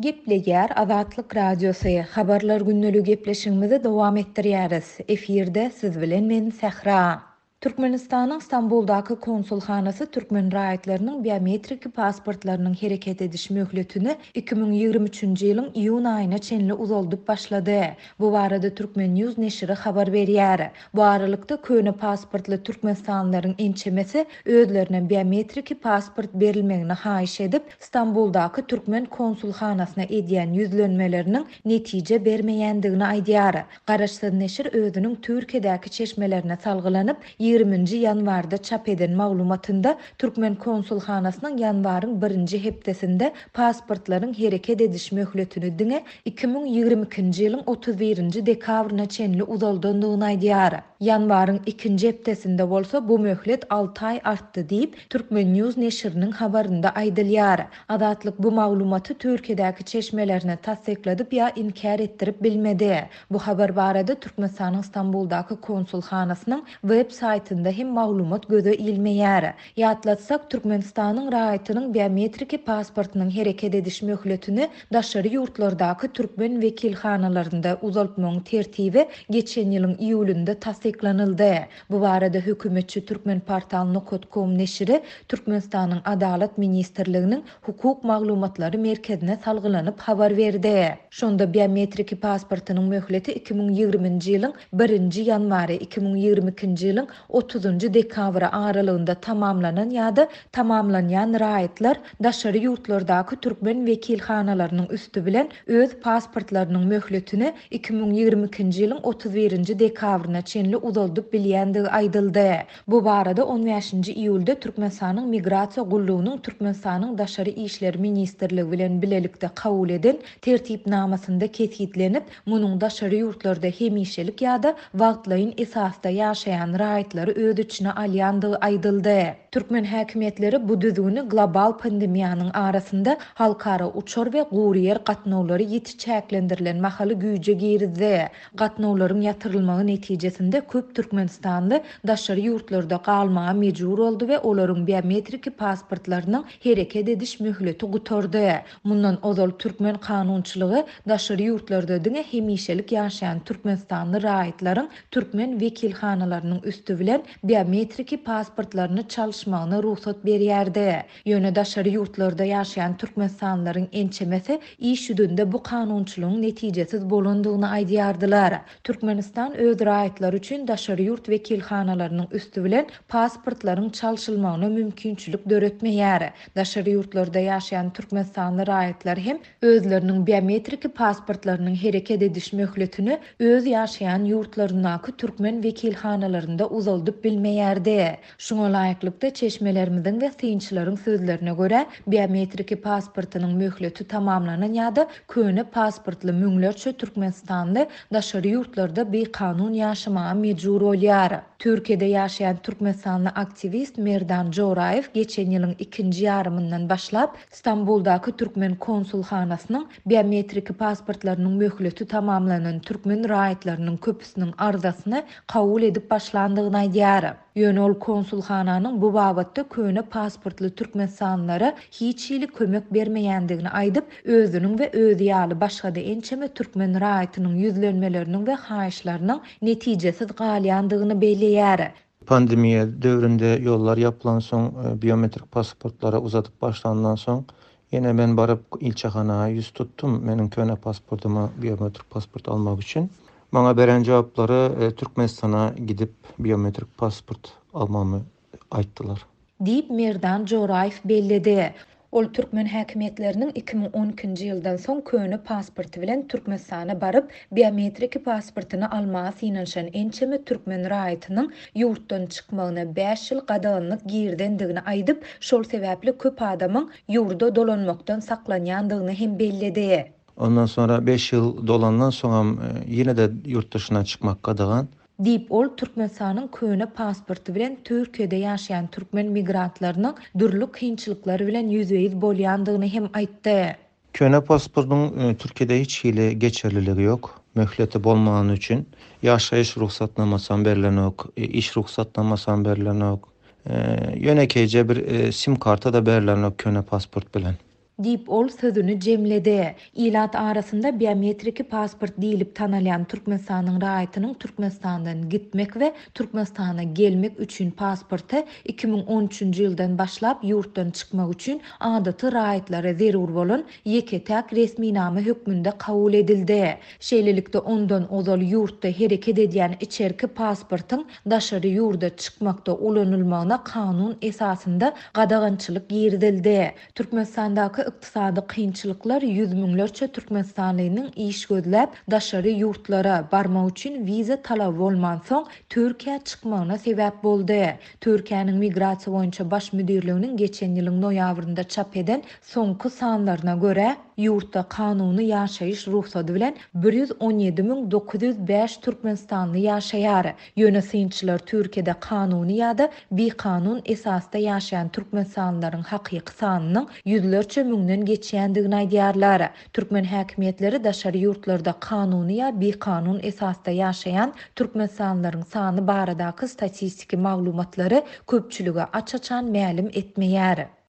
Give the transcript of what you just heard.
Gepleýär Azatlyk Radiosy, Habarlar gündeligi gepleşigimizi dowam etdirýäris. Efirde siz bilen men Sähra. Türkmenistanyň Stambuldaky konsulhanasy türkmen raýatlarynyň biometriki pasportlarynyň hereket ediş möhletini 2023-nji ýylyň iýun aýyna çenli uzaldyp başlady. Bu barada Turkmen. News neşiri habar berýär. Bu aralykda, köne pasportly türkmenistanlylaryň ençemesi özlerine biometriki pasport berilmegini haýyş edip, Stambuldaky türkmen konsulhanasyna edýän ýüzlenmeleriniň netije bermeýändigini aýdýar. Garaşsyz neşir özüniň Türkiýedäki çeşmelerine salgylanyp, ýigriminji ýanwarda çap eden maglumatynda türkmen konsulhanasynyň ýanwaryň birinji hepdesinde pasportlaryň hereket ediş möhletini diňe 2022-nji ýylyň 31-nji dekabryna çenli uzaldandygyny aýdýar. Ýanwaryň ikinji hepdesinde bolsa bu möhlet alty aý artdy diýip, Turkmen. News neşiriniň habarynda aýdylýar. Azatlyk bu maglumaty Türkiýedäki çeşmelerine tassykladyp ýa inkär etdirip bilmedi. Bu habar barada Türkmenistanyň Stambuldaky konsulhanasynyň web saýtynda hem maglumat göze ilmeýär. Ýatlatsak, Türkmenistanyň raýatynyň biometriki pasportynyň hereket ediş möhletini daşary ýurtlardaky türkmen wekilhanalarynda uzaltmagyň tertibi geçen ýylyň iýulynda tassyklanyldy. Bu barada hökümetçi Turkmenportal nokat kom neşiri Türkmenistanyň Adalat ministrliginiň Hukuk maglumatlary merkezine salgylanyp habar berdi. Şonda biometriki pasportynyň möhleti 2020-nji ýylyň birinji ýanwary, 2022-nji ýylyň otuzynjy dekabry aralygynda tamamlanan ýa-da tamamlanýan raýatlar daşary ýurtlardaky türkmen wekilhanalarynyň üsti bilen öz pasportlarynyň möhletini 2022-nji ýylyň 31-nji dekabryna çenli uzaldyp bilýändigi aýdyldy. Bu barada on bäşinji iýulda Türkmenistanyň Migrasiýa gullugynyň Türkmenistanyň Daşary işler ministrligi bilen bilelikde kabul eden Tertipnamasynda kesgitlenip, munuň daşary ýurtlarda hemişelik ýa-da wagtlaýyn esasda ýaşaýan raýatlary öz içine alýandygy aýdyldy. Türkmen häkimiýetleri bu düzgüni global pandemiýanyň arasynda halkara uçar we gury ýer gatnawlary ýiti çäklendirilen mahaly güýje girizdi. Gatnawlaryň ýatyrylmagy netijesinde köp türkmenistanly daşary ýurtlarda galmaga mejbur boldy we olaryň biometriki pasportlarynyň hereket ediş möhleti gutardy. Mundan ozal türkmen kanunçylygy daşary ýurtlarda diňe hemişelik ýaşaýan türkmenistanly raýatlaryň türkmen wekilhanalarynyň üsti bilen biometriki pasportlaryny çalyşmagyna rugsat berýärdi. Ýöne daşary ýurtlarda ýaşaýan türkmenistanlylaryň ençemesi iş ýüzünde bu kanunçylygyň netijesiz bolandygyny aýdýardylar. Türkmenistan öz raýatlary üçin daşary ýurt wekilhanalarynyň üsti bilen pasportlaryň çalşylmagyna mümkinçilik döretmeýär. Daşary ýurtlarda ýaşaýan türkmenistanly raýatlar hem özleriniň biometriki pasportlarynyň hereket ediş möhletini öz ýaşaýan ýurtlaryndaky türkmen wekilhanalarynda uzaldyp bilmeýärdi. Şuňa laýyklykda, çeşmelerimiziň we synçylaryň sözlerine görä, biometriki pasportynyň möhleti tamamlanan ýa-da köne pasportly müňlerçe türkmenistanly daşary ýurtlarda bikanun ýaşamaga mejbur bolýar. Türkiýede ýaşaýan türkmenistanly aktiwist Merdan Joraýew geçen ýylyň ikinji ýarymyndan başlap, Stambuldaky türkmen konsulhanasynyň biometriki pasportlarynyň möhleti tamamlanan türkmen raýatlarynyň köpüsiniň arzasyny kabul edip başlandygyny aýdýar. Ýöne ol konsulhananyň bu babatda köne pasportly türkmenistanlylara hiç hili kömek bermeýändigini aýdyp, özüniň we özi ýaly başga-da ençeme türkmen raýatynyň ýüzlenmeleriniň we haýyşlarynyň netijesiz galýandygyny belleýär. Pandemiýa döwründe ýollar ýapylansoň, biometrik pasportlary uzadyp başlandan soň, ýene men baryp ilçihana ýüz tutdum, meniň köne pasportyma biometrik pasport almak üçin. Maňa beren jogaplary Türkmenistana gidip biometrik pasport almamy aýtdylar. Diýip, Merdan Joraýew belledi. Ol türkmen häkimiýetleriniň 2012-nji ýyldan soň köne pasporty bilen Türkmenistana baryp, biometriki pasportyny almaga synanyşan ençeme türkmen raýatynyň ýurtdan çykmagyna bäş ýyl gadaganlyk girizendigini aýdyp, şol sebäpli köp adamyň ýurda dolanmakdan saklanýandygyny hem belledi. Ondan soňra beş ýyl dolandan soňam ýene-de ýurt daşyna çykmak gadagan. Diýip, ol Türkmenistanyň köne pasporty bilen Türkiýede ýaşaýan türkmen migrantlarynyň dürli kynçylyklar bilen ýüzbe-ýüz bolýandygyny hem aýtdy. Köne pasportyň Türkiýede hiç hili geçerliligi ýok, möhleti bolmany üçin. Ýaşaýyş rugsatnamasam berlenok, iş rugsatnamasam berlenok. Ýönekeýje bir sim karta-da berlenok köne pasport bilen. Diýip, ol sözüni jemledi. Ilat arasynda biometriki pasport diýlip tanalýan Türkmenistanyň raýatynyň Türkmenistandan gitmek we Türkmenistana gelmek üçin pasporty 2013-nji ýyldan başlap ýurtdan çykmak üçin adaty raýatlara zerur bolan ýeke-täk resminama hökmünde kabul edildi. Şeýlelikde, ondan ozal ýurtda hereket edýän içerki pasportyň daşary ýurda çykmakda ulanylmagyna kanun esasynda gadagançylyk girizildi. Türkmenistandaky ykdysady kynçylyklar ýüz müňlerçe türkmenistanlynyň iş gözläp, daşary ýurtlara barmak üçin wiza talaby bolmansoň, Türkiýä çykmagyna sebäp boldy. Türkiýäniň Migrasiýa boýunça baş müdirliginiň geçen ýylyň noýabrynda çap eden soňky sanlaryna görä, ýurtda kanuny ýaşaýyş rugsady bilen 117 905 türkmenistanly ýaşaýar. Ýöne synçylar Türkiýede kanuny ýa-da bikanun esasda ýaşaýan türkmenistanlylaryň hakyky sanynyň ýüzlerçe müňden geçýändigini aýdýarlar. Türkmen häkimiýetleri daşary ýurtlarda kanuny ýa bikanun esasda ýaşaýan türkmenistanlylaryň sany baradaky statistiki maglumatlary köpçülige aç-açan mälim etmeýär.